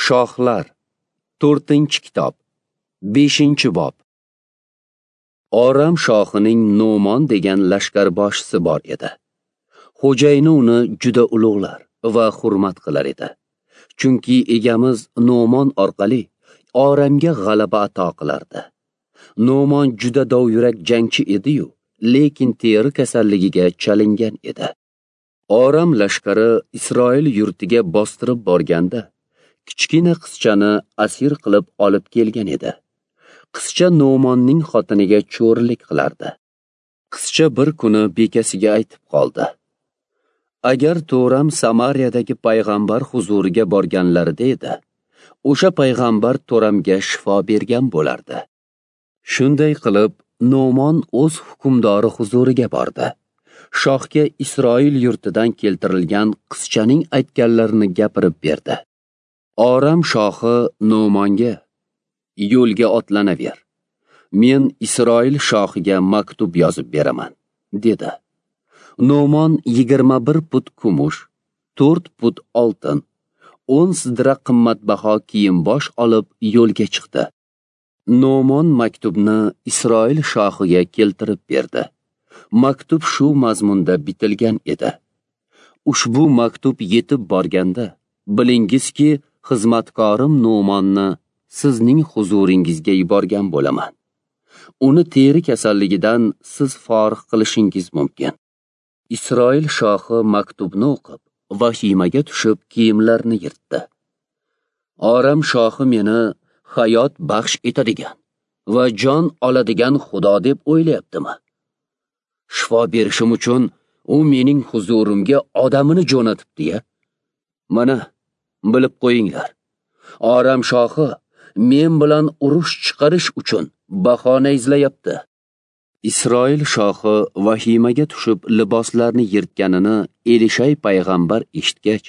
Shohlar, 4-kitob, 5-bob. Oram shohining No'mon degan lashkarboshisi bor edi. Xo'jayini uni juda ulug'lar va hurmat qilar edi. Chunki egamiz No'mon orqali Oramga g'alaba ato qilardi. No'mon juda dovyurak jangchi edi-yu, lekin teri kasalligiga chalingan edi. Oram lashkari Isroil yurtiga bostirib borganda, kichkina qizchani asir qilib olib kelgan edi. Qizcha No'monning xotiniga cho'rilik qilardi. Qizcha bir kuni bekasiga aytib qoldi: "Agar to'ram Samariyadagi payg'ambar huzuriga borganlarida edi, o'sha payg'ambar to'ramga shifo bergan bo'lardi." Shunday qilib, No'mon o'z hukmdori huzuriga bordi. Shohga Isroil yurtidan keltirilgan qizchaning aytganlarini gapirib berdi. Oram shohi No'monga: "Yo'lga otlanaver. Men Isroil shohiga maktub yozib beraman", dedi. No'mon 21 put kumush, 4 put oltin, 10 sidra qimmatbaho kiyim-bosh olib yo'lga chiqdi. No'mon maktubni Isroil shohiga keltirib berdi. Maktub shu mazmunda bitilgan edi: "Ushbu maktub yetib borganda, bilingizki, xizmatkorim No'monni sizning huzuringizga yuborgan bo'laman. Uni teri kasalligidan siz forig' qilishingiz mumkin." Isroil shohi maktubni o'qib, vahimaga tushib kiyimlarini yirtdi. "Oram shohi meni hayot baxsh etadigan va jon oladigan Xudo deb o'ylayaptimi? Shifo berishim uchun u mening huzurimga odamini jo'natibdi-ya. Mana, bilib qo'yinglar. Oram shohi men bilan urush chiqarish uchun bahona izlayapti." Isroil shohi vahimaga tushib liboslarni yirtganini Elishay payg'ambar eshitgach,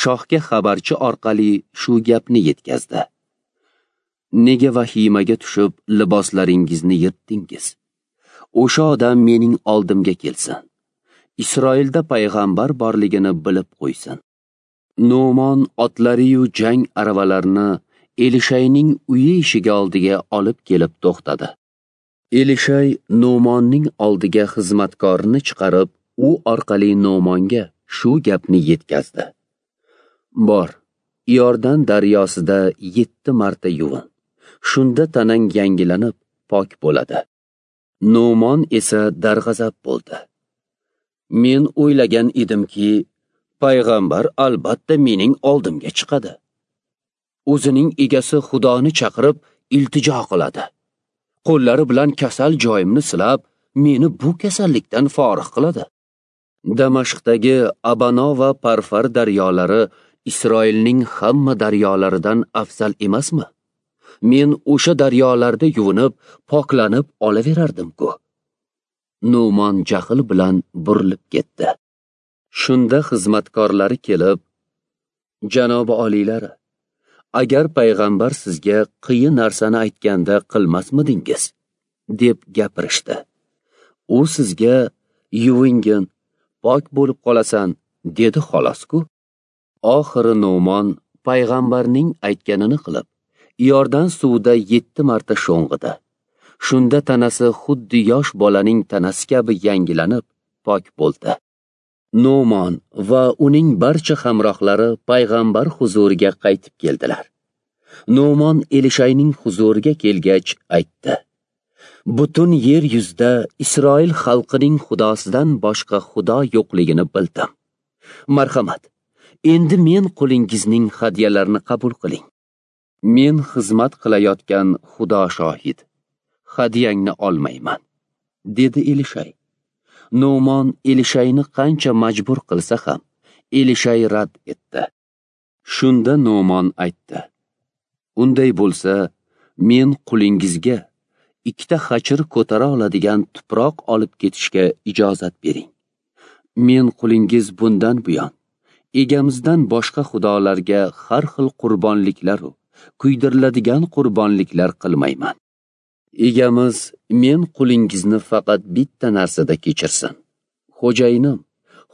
shohga xabarchi orqali shu gapni yetkazdi: "Nega vahimaga tushib liboslaringizni yirtdingiz? O'sha odam mening oldimga kelsin. Isroilda payg'ambar borligini bilib qo'ysin." No'mon otlari-yu jang aravalarini Elishayning uyi eshigi oldiga olib kelib to'xtadi. Elishay No'monning oldiga xizmatkorini chiqarib, u orqali No'monga shu gapni yetkazdi: "Bor, Iordan daryosida 7 marta yuvin. Shunda tanang yangilanib, pok bo'ladi." No'mon esa darg'azab bo'ldi. "Men o'ylagan edimki, payg'ambar albatta mening oldimga chiqadi. O'zining egasi Xudoni chaqirib iltijo qiladi. Qo'llari bilan kasal joyimni silab, meni bu kasallikdan forig' qiladi. Damashqdagi Abano va Parfar daryolari Isroilning hamma daryolaridan afzal emasmi? Men o'sha daryolarda yuvinib, poklanib olaverardim-ku." No'mon jahl bilan burilib ketdi. Shunda xizmatkorlari kelib: "Janobi oliylari, agar payg'ambar sizga qiyin narsani aytganda qilmasmidingiz?" deb gapirishdi. "U sizga yuvingin, pok bo'lib qolasan, dedi xolos-ku." Oxiri No'mon payg'ambarning aytganini qilib, Iordan suvida 7 marta sho'ng'idi. Shunda tanasi xuddi yosh bolaning tanasi kabi yangilanib, pok bo'ldi. No'mon va uning barcha hamrohlari payg'ambar huzuriga qaytib keldilar. No'mon Elishayning huzuriga kelgach aytdi: "Butun yer yuzida Isroil xalqining xudosidan boshqa xudo yo'qligini bildim. Marhamat, endi men qulingizning hadyalarini qabul qiling. Men xizmat qilayotgan Xudo shohid, hadyangni olmayman", dedi Elishay. No'mon Elishayni qancha majbur qilsa ham, Elishay rad etdi. Shunda No'mon aytdi: "Unday bo'lsa, men qulingizga 2 xachir ko'tara oladigan tuproq olib ketishga ijozat bering. Men qulingiz bundan buyon egamizdan boshqa xudolarga har xil qurbonliklar u kuydiriladigan qurbonliklar qilmayman. Egamiz men qulingizni faqat bitta narsada kechirsin. Xo'jayinim,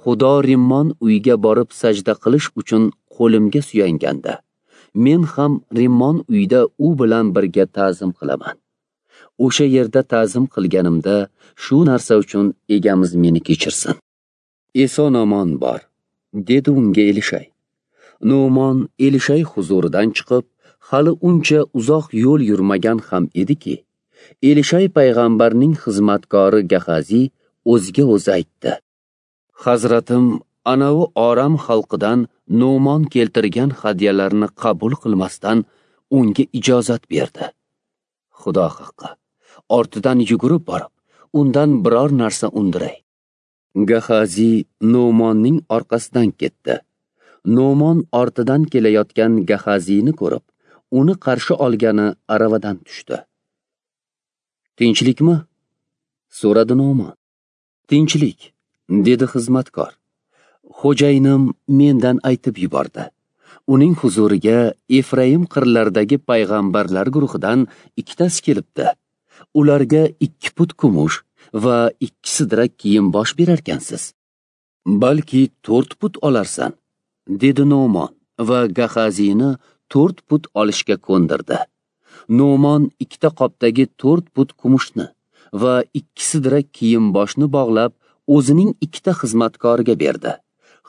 Xudo Rimmon uyiga borib sajda qilish uchun qo'limga suyanganda, Men ham Rimmon uyida u bilan birga ta'zim qilaman. O'sha yerda ta'zim qilganimda shu narsa uchun egamiz meni kechirsin. Eson-omon bor, dedi unga Elishay. No'mon Elishay huzuridan chiqib, hali uncha uzoq yo'l yurmagan ham ediki, Elishay payg'ambarning xizmatkori Gahazi o'ziga o'zi aytdi: Hazratim anavi Oram xalqidan No'mon keltirgan hadyalarni qabul qilmasdan unga ijozat berdi. Xudo haqqi, ortidan yugurib borib, undan biror narsa undiray. Gahazi No'monning orqasidan ketdi. No'mon ortidan kelayotgan Gahazini ko'rib, uni qarshi olgani aravadan tushdi. Tinchlikmi? So'radi No'mon. Tinchlik, dedi xizmatkor. Xo'jayinim mendan aytib yubordi. Uning huzuriga Efraim qirlaridagi payg'ambarlar guruhidan ikkitasi kelibdi. Ularga 2 put kumush va 2 sidra kiyim bosh berarkansiz. Balki 4 put olarsan, dedi No'mon va Gahazini 4 put olishga ko'ndirdi. No'mon 2 qopdagi 4 put kumushni va 2 sidra kiyim boshni bog'lab o'zining 2 xizmatkoriga berdi.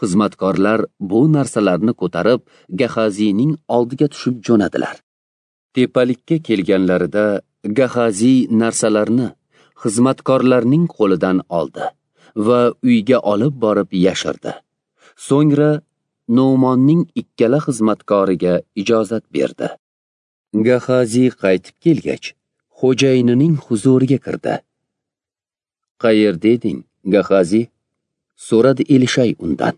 Xizmatkorlar bu narsalarni ko'tarib Gahazining oldiga tushib jo'nadilar. Tepalikka kelganlarida Gahazi narsalarni xizmatkorlarning qo'lidan oldi va uyga olib borib yashirdi. So'ngra No'monning ikkala xizmatkoriga ijozat berdi. Gahazi qaytib kelgach, xo'jayinining huzuriga kirdi. Qayerda eding, Gahazi? So'radi Elishay undan.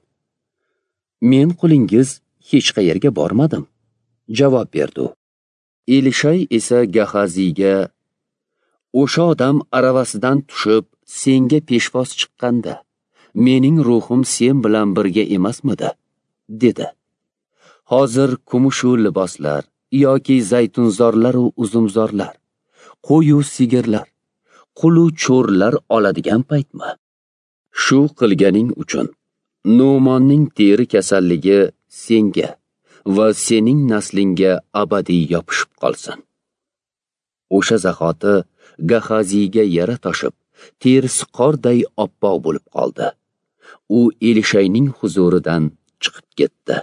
Men qulingiz hech qayerga bormadim, javob berdi u. Elishay esa Gahaziga: O'sha odam aravasidan tushib senga peshvoz chiqqanda, mening ruhim sen bilan birga emasmidi? Dedi. Hozir kumushu liboslar yoki zaytunzorlar u uzumzorlar, qo'yu sigirlar, qulu cho'rlar oladigan paytmi? Shu qilganing uchun No'monning teri kasalligi senga va sening naslingga abadiy yopishib qolsin. O'sha zahoti Gahaziga yara toshib, terisi qorday oppoq bo'lib qoldi. U Elishayning huzuridan chiqib ketdi.